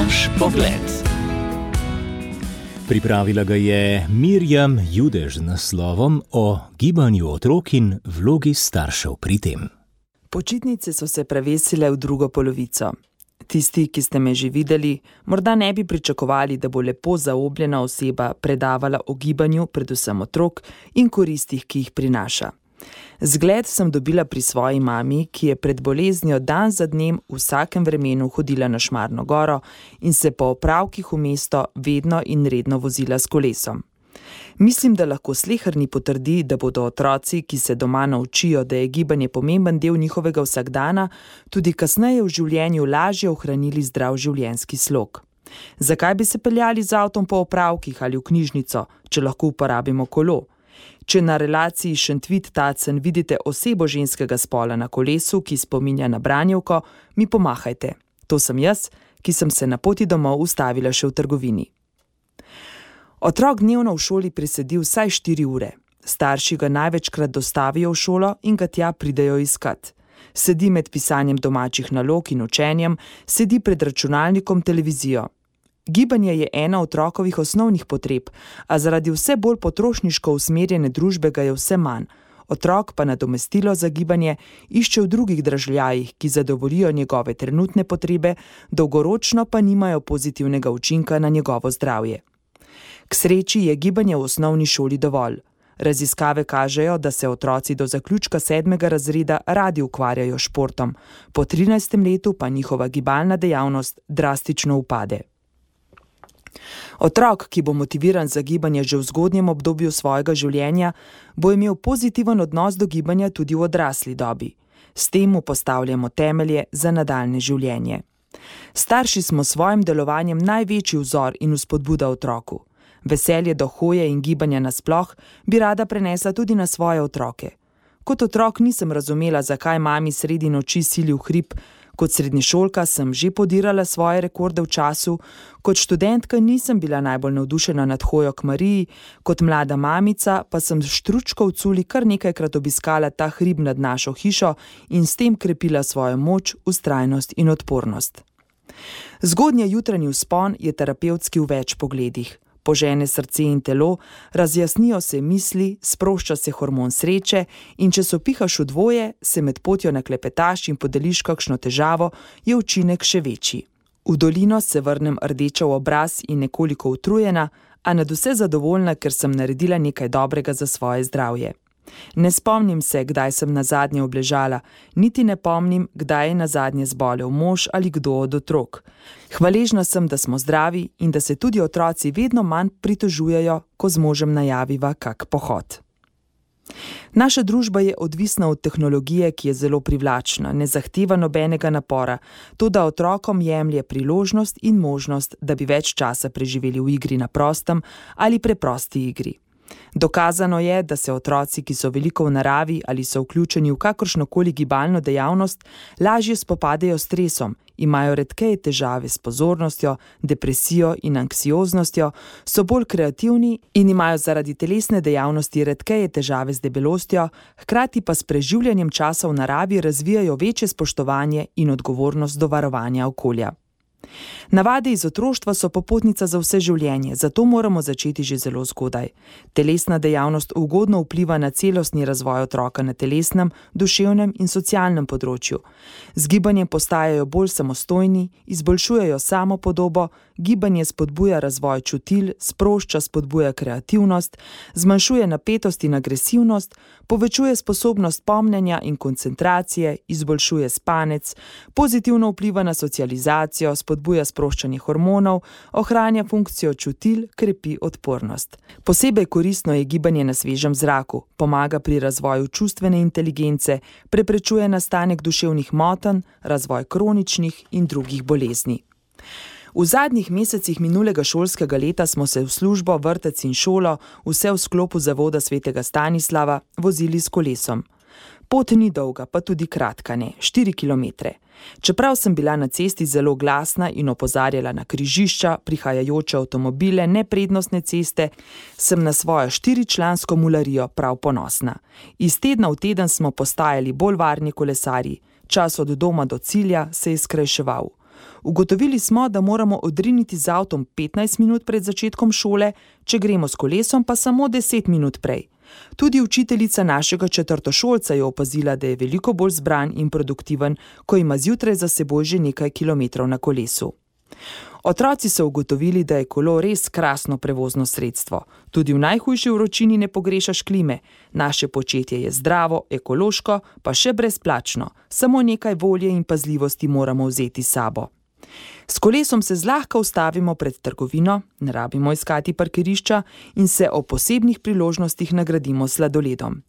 Naš pogled. Pripravila ga je Mirjam Judež z naslovom o gibanju otrok in vlogi staršev pri tem. Počitnice so se prevesile v drugo polovico. Tisti, ki ste me že videli, morda ne bi pričakovali, da bo lepo zaobljena oseba predavala o gibanju, predvsem otrok, in koristih, ki jih prinaša. Zgled sem dobila pri svoji mami, ki je pred boleznijo dan za dnem v vsakem vremenu hodila na Šmarno goro in se po opravkih v mesto vedno in redno vozila s kolesom. Mislim, da lahko sleherni potrdi, da bodo otroci, ki se doma naučijo, da je gibanje pomemben del njihovega vsakdana, tudi kasneje v življenju lažje ohranili zdrav življenjski slog. Zakaj bi se peljali z avtom po opravkih ali v knjižnico, če lahko uporabimo kolo? Če na relaciji Šentvid-Tacen vidite osebo ženskega spola na kolesu, ki spominja na branjevko, mi pomahajte. To sem jaz, ki sem se na poti domov ustavila še v trgovini. Otrok dnevno v šoli presedi vsaj 4 ure. Starši ga največkrat dostavijo v šolo in ga tja pridejo iskat. Sedi med pisanjem domačih nalog in učenjem, sedi pred računalnikom, televizijo. Gibanje je ena otrokovih osnovnih potreb, a zaradi vse bolj potrošniško usmerjene družbe ga je vse manj. Otrok pa nadomestilo za gibanje išče v drugih dražljajih, ki zadovoljijo njegove trenutne potrebe, dolgoročno pa nimajo pozitivnega učinka na njegovo zdravje. K sreči je gibanje v osnovni šoli dovolj. Raziskave kažejo, da se otroci do zaključka 7. razreda radi ukvarjajo s športom, po 13. letu pa njihova gibalna dejavnost drastično upade. Otrok, ki bo motiviran za gibanje že v zgodnjem obdobju svojega življenja, bo imel pozitiven odnos do gibanja tudi v odrasli dobi. S tem mu postavljamo temelje za nadaljnje življenje. Starši smo s svojim delovanjem največji vzor in vzpodbuda otroku. Veselje do hoje in gibanja nasploh bi rada prenesla tudi na svoje otroke. Kot otrok nisem razumela, zakaj mami sredi noči sili v hrib. Kot srednješolka sem že podirala svoje rekorde v času, kot študentka nisem bila najbolj navdušena nad hojo k Mariji, kot mlada mamica pa sem s štručko v culi kar nekajkrat obiskala ta hrib nad našo hišo in s tem krepila svojo moč, vztrajnost in odpornost. Zgodnji jutranji vzpon je terapevtski v več pogledih. Požene srce in telo, razjasnijo se misli, sprošča se hormon sreče in če se opihaš v dvoje, se med potjo naklepetaš in podeliš kakšno težavo, je učinek še večji. V dolino se vrnem rdeča v obraz in nekoliko utrujena, a nadvse zadovoljna, ker sem naredila nekaj dobrega za svoje zdravje. Ne spomnim se, kdaj sem nazadnje obležala, niti ne pomnim, kdaj je nazadnje zbolel mož ali kdo od otrok. Hvaležna sem, da smo zdravi in da se tudi otroci vedno manj pritožujejo, ko z možem najaviva kak pohod. Naša družba je odvisna od tehnologije, ki je zelo privlačna, ne zahteva nobenega napora, toda otrokom jemlje priložnost in možnost, da bi več časa preživeli v igri na prostem ali preprosti igri. Dokazano je, da se otroci, ki so veliko v naravi ali so vključeni v kakršnokoli gibalno dejavnost, lažje spopadajo s stresom, imajo redkeje težave s pozornostjo, depresijo in anksioznostjo, so bolj kreativni in imajo zaradi telesne dejavnosti redkeje težave z debelostjo, hkrati pa s preživljanjem časa v naravi razvijajo večje spoštovanje in odgovornost do varovanja okolja. Navade iz otroštva so popotnica za vse življenje, zato moramo začeti že zelo zgodaj. Telesna dejavnost ugodno vpliva na celostni razvoj otroka na telesnem, duševnem in socialnem področju. Z gibanjem postajajo bolj samostojni, izboljšujejo samopodobo, gibanje spodbuja razvoj čutil, sprošča, spodbuja kreativnost, zmanjšuje napetost in agresivnost, povečuje sposobnost pomnjenja in koncentracije, izboljšuje spanec, pozitivno vpliva na socializacijo, spodbuja sproščanje hormonov, ohranja funkcijo čutil, krepi odpornost. Posebej koristno je gibanje na svežem zraku, pomaga pri razvoju čustvene inteligence, preprečuje nastanek duševnih motenj, razvoj kroničnih in drugih bolezni. V zadnjih mesecih minulega šolskega leta smo se v službo, vrtec in šolo, vse v sklopu Zavoda svetega Stanislava, vozili s kolesom. Pot ni dolga, pa tudi kratka ne, 4 kilometre. Čeprav sem bila na cesti zelo glasna in opozarjala na križišča, prihajajoče avtomobile, neprednostne ceste, sem na svojo 4-člansko mularijo prav ponosna. Iz tedna v teden smo postajali bolj varni kolesarji, čas od doma do cilja se je skrajševal. Ugotovili smo, da moramo odriniti z avtom 15 minut pred začetkom šole, če gremo s kolesom pa samo 10 minut prej. Tudi učiteljica našega četrtošolca je opazila, da je veliko bolj zbran in produktiven, ko ima zjutraj za seboj že nekaj kilometrov na kolesu. Otroci so ugotovili, da je kolo res krasno prevozno sredstvo. Tudi v najhujši vročini ne pogrešaš klime. Naše početje je zdravo, ekološko, pa še brezplačno. Samo nekaj volje in pazljivosti moramo vzeti s sabo. S kolesom se zlahka ustavimo pred trgovino, ne rabimo iskati parkirišča in se o posebnih priložnostih nagradimo s sladoledom.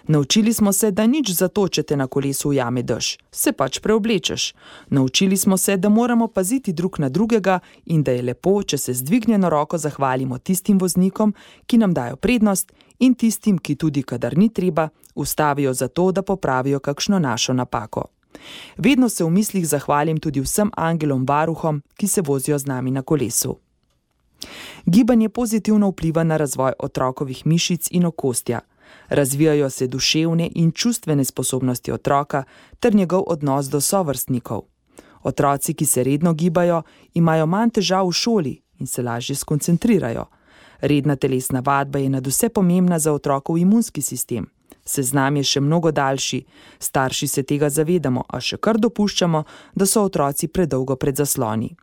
Naučili smo se, da nič zato, če te na kolesu ujame dež, se pač preoblečeš. Naučili smo se, da moramo paziti drug na drugega in da je lepo, če se z dvignjeno roko zahvalimo tistim voznikom, ki nam dajo prednost, in tistim, ki tudi, kadar ni treba, ustavijo zato, da popravijo kakšno našo napako. Vedno se v mislih zahvalim tudi vsem angelom varuhom, ki se vozijo z nami na kolesu. Gibanje pozitivno vpliva na razvoj otrokovih mišic in okostja. Razvijajo se duševne in čustvene sposobnosti otroka ter njegov odnos do sovrstnikov. Otroci, ki se redno gibajo, imajo manj težav v šoli in se lažje skoncentrirajo. Redna telesna vadba je nadvse pomembna za otrokov imunski sistem. Seznam je še mnogo daljši, starši se tega zavedamo, a še kar dopuščamo, da so otroci predolgo pred zasloni.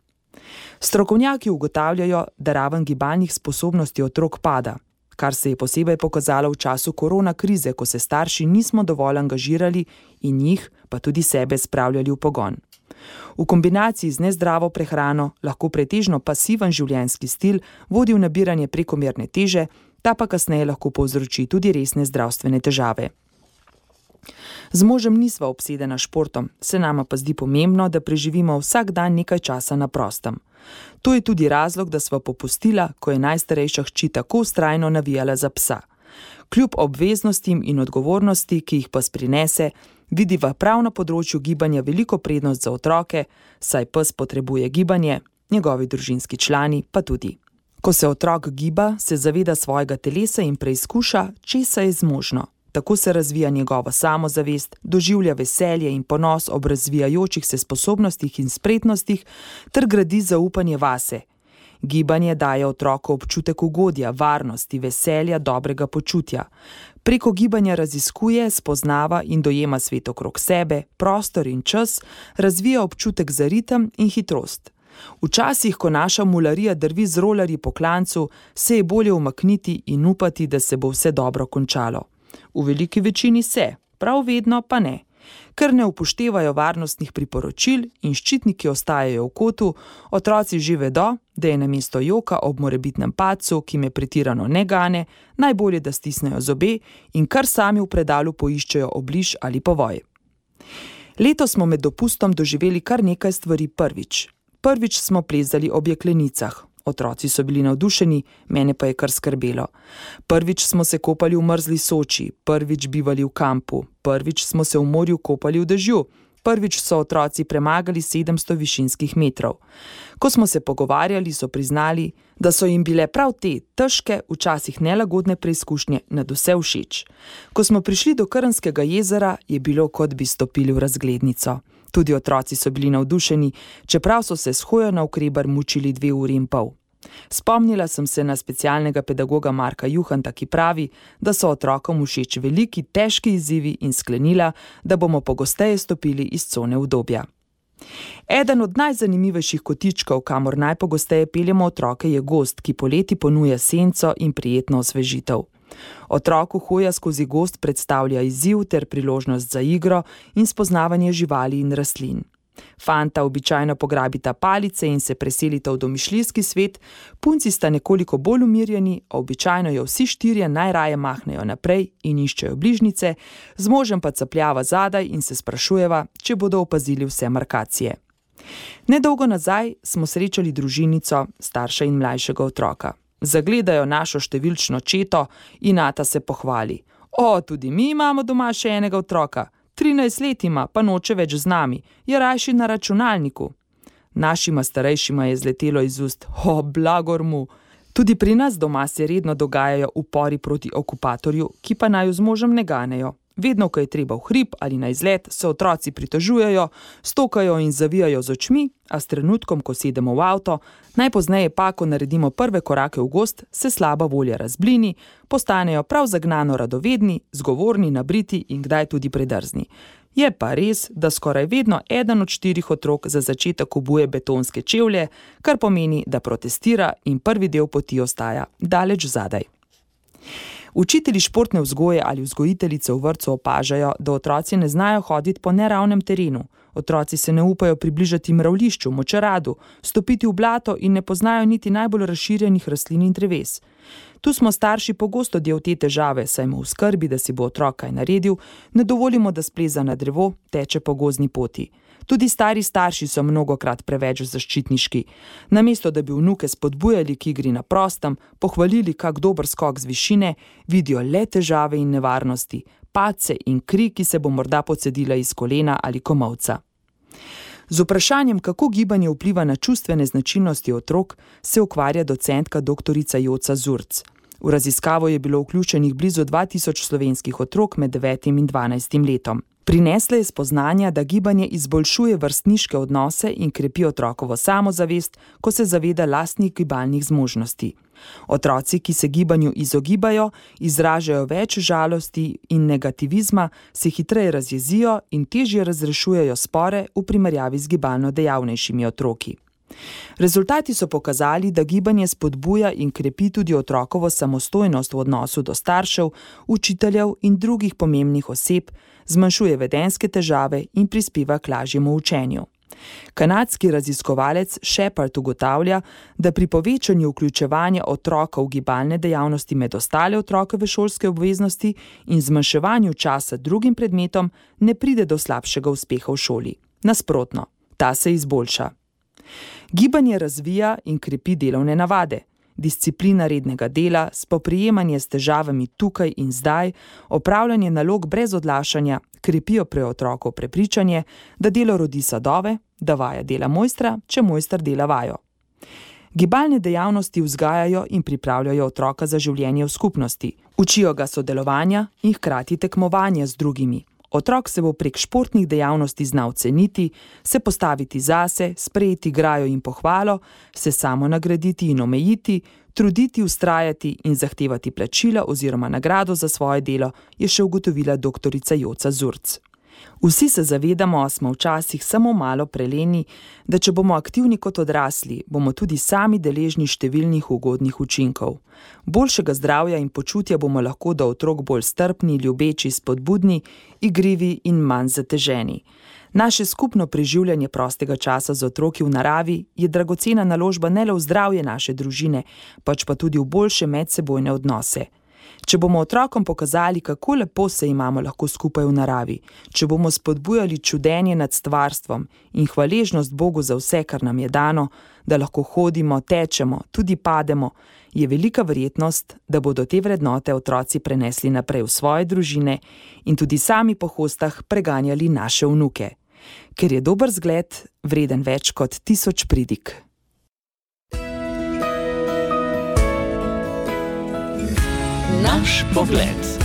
Strokovnjaki ugotavljajo, da raven gibalnih sposobnosti otrok pada, kar se je posebej pokazalo v času korona krize, ko se starši nismo dovolj angažirali in jih, pa tudi sebe, spravljali v pogon. V kombinaciji z nezdravo prehrano lahko pretežno pasiven življenjski stil vodi v nabiranje prekomerne teže, ta pa kasneje lahko povzroči tudi resne zdravstvene težave. Z možem nisva obsedena športom, se nama pa zdi pomembno, da preživimo vsak dan nekaj časa na prostem. To je tudi razlog, da sva popustila, ko je najstarejša hči tako vztrajno navijala za psa. Kljub obveznostim in odgovornosti, ki jih pes prinese, vidiva prav na področju gibanja veliko prednost za otroke, saj pes potrebuje gibanje, njegovi družinski člani pa tudi. Ko se otrok giba, se zaveda svojega telesa in preizkuša, česa je zmožno. Tako se razvija njegova samozavest, doživlja veselje in ponos ob razvijajočih se sposobnostih in spretnostih ter gradi zaupanje vase. Gibanje daje otroku občutek ugodja, varnosti, veselja, dobrega počutja. Preko gibanja raziskuje, spoznava in dojema svet okrog sebe, prostor in čas, razvija občutek za ritem in hitrost. Včasih, ko naša mularija drvi z rolerji po klancu, se je bolje umakniti in upati, da se bo vse dobro končalo. V veliki večini se, prav vedno pa ne. Ker ne upoštevajo varnostnih priporočil in ščitniki ostajajo v kotu, otroci že vedo, da je namesto joka ob morebitnem padcu, ki me pretirano ne gane, najbolje, da stisnejo zobe in kar sami v predalu poiščejo obliž ali povoj. Letos smo med dopustom doživeli kar nekaj stvari prvič. Prvič smo plezali ob jeklenicah. Otroci so bili navdušeni, mene pa je kar skrbelo. Prvič smo se kopali v mrzli Soči, prvič bivali v kampu, prvič smo se v morju kopali v dežju, prvič so otroci premagali 700 višinskih metrov. Ko smo se pogovarjali, so priznali, da so jim bile prav te težke, včasih nelagodne preizkušnje nadvse všeč. Ko smo prišli do Krnskega jezera, je bilo, kot bi stopili v razglednico. Tudi otroci so bili navdušeni, čeprav so se s hojo navkreber mučili 2 uri in pol. Spomnila sem se na specialnega pedagoga Marka Juhanta, ki pravi, da so otrokom všeč veliki, težki izzivi in sklenila, da bomo pogosteje stopili iz cone udobja. Eden od najzanimivejših kotičkov, kamor najpogosteje peljemo otroke, je gozd, ki poleti ponuja senco in prijetno osvežitev. Otroku hoja skozi gozd predstavlja izziv ter priložnost za igro in spoznavanje živali in rastlin. Fanta običajno pograbita palice in se preselita v domišljijski svet, punci sta nekoliko bolj umirjeni, običajno jo vsi 4 najraje mahnejo naprej in iščejo bližnjice, z možem pa capljava zadaj in se sprašujeva, če bodo opazili vse markacije. Nedolgo nazaj smo srečali družinico, starša in mlajšega otroka. Zagledajo našo številčno četo in ata se pohvali. O, tudi mi imamo doma še enega otroka. 13 let ima, pa noče več z nami. Je rajši na računalniku. Našima starejšima je zletelo iz ust. O, blagor mu. Tudi pri nas doma se redno dogajajo upori proti okupatorju, ki pa naju z možem ne ganejo. Vedno, ko je treba v hrib ali na izlet, se otroci pritožujejo, stokajo in zavijajo z očmi, a s trenutkom, ko sedemo v avto, najpozneje pa, ko naredimo prve korake v gozd, se slaba volja razblini, postanejo prav zagnano radovedni, zgovorni, nabriti in kdaj tudi predrzni. Je pa res, da skoraj vedno eden od 4 otrok za začetek obuje betonske čevlje, kar pomeni, da protestira in prvi del poti ostaja daleč zadaj. Učitelji športne vzgoje ali vzgojiteljice v vrtcu opažajo, da otroci ne znajo hoditi po neravnem terenu. Otroci se ne upajo približati mravljišču, močeradu, stopiti v blato in ne poznajo niti najbolj razširjenih rastlin in dreves. Tu smo starši pogosto del te težave, saj mu v skrbi, da si bo otrok kaj naredil, ne dovolimo, da spleza na drevo, teče po gozdni poti. Tudi stari starši so mnogokrat preveč zaščitniški. Namesto, da bi vnuke spodbujali k igri na prostem, pohvalili kak dober skok z višine, vidijo le težave in nevarnosti, padce in kri, ki se bo morda pocedila iz kolena ali komolca. Z vprašanjem, kako gibanje vpliva na čustvene značilnosti otrok, se ukvarja docentka doktorica Joca Zurc. V raziskavo je bilo vključenih blizu 2000 slovenskih otrok med 9 in 12 letom. Prinesla je spoznanja, da gibanje izboljšuje vrstniške odnose in krepi otrokovo samozavest, ko se zaveda lastnih gibalnih zmožnosti. Otroci, ki se gibanju izogibajo, izražajo več žalosti in negativizma, se hitreje razjezijo in težje razrešujejo spore v primerjavi z gibalno dejavnejšimi otroki. Rezultati so pokazali, da gibanje spodbuja in krepi tudi otrokovo samostojnost v odnosu do staršev, učiteljev in drugih pomembnih oseb, zmanjšuje vedenjske težave in prispeva k lažjemu učenju. Kanadski raziskovalec Shepard ugotavlja, da pri povečanju vključevanja otroka v gibalne dejavnosti med ostale otrokove šolske obveznosti in zmanjševanju časa drugim predmetom ne pride do slabšega uspeha v šoli. Nasprotno, ta se izboljša. Gibanje razvija in krepi delovne navade. Disciplina rednega dela, spoprijemanje s težavami tukaj in zdaj, opravljanje nalog brez odlašanja, krepijo pri otroku prepričanje, da delo rodi sadove, da vaja dela mojstra, če mojster dela vajo. Gibalne dejavnosti vzgajajo in pripravljajo otroka za življenje v skupnosti. Učijo ga sodelovanja in hkrati tekmovanja z drugimi. Otrok se bo prek športnih dejavnosti znal ceniti, se postaviti zase, sprejeti grajo in pohvalo, se samo nagraditi in omejiti, truditi, vztrajati in zahtevati plačila oziroma nagrado za svoje delo, je še ugotovila doktorica Joca Zurc. Vsi se zavedamo, smo včasih samo malo preleni, da če bomo aktivni kot odrasli, bomo tudi sami deležni številnih ugodnih učinkov. Boljšega zdravja in počutja bomo lahko do otrok bolj strpni, ljubeči, spodbudni, igrivi in manj zateženi. Naše skupno preživljanje prostega časa z otroki v naravi je dragocena naložba ne le v zdravje naše družine, pač pa tudi v boljše medsebojne odnose. Če bomo otrokom pokazali, kako lepo se imamo lahko skupaj v naravi, če bomo spodbujali čudenje nad stvarstvom in hvaležnost Bogu za vse, kar nam je dano, da lahko hodimo, tečemo, tudi pademo, je velika verjetnost, da bodo te vrednote otroci prenesli naprej v svoje družine in tudi sami po hostah preganjali naše vnuke. Ker je dober zgled vreden več kot 1000 pridig. Naš pogled.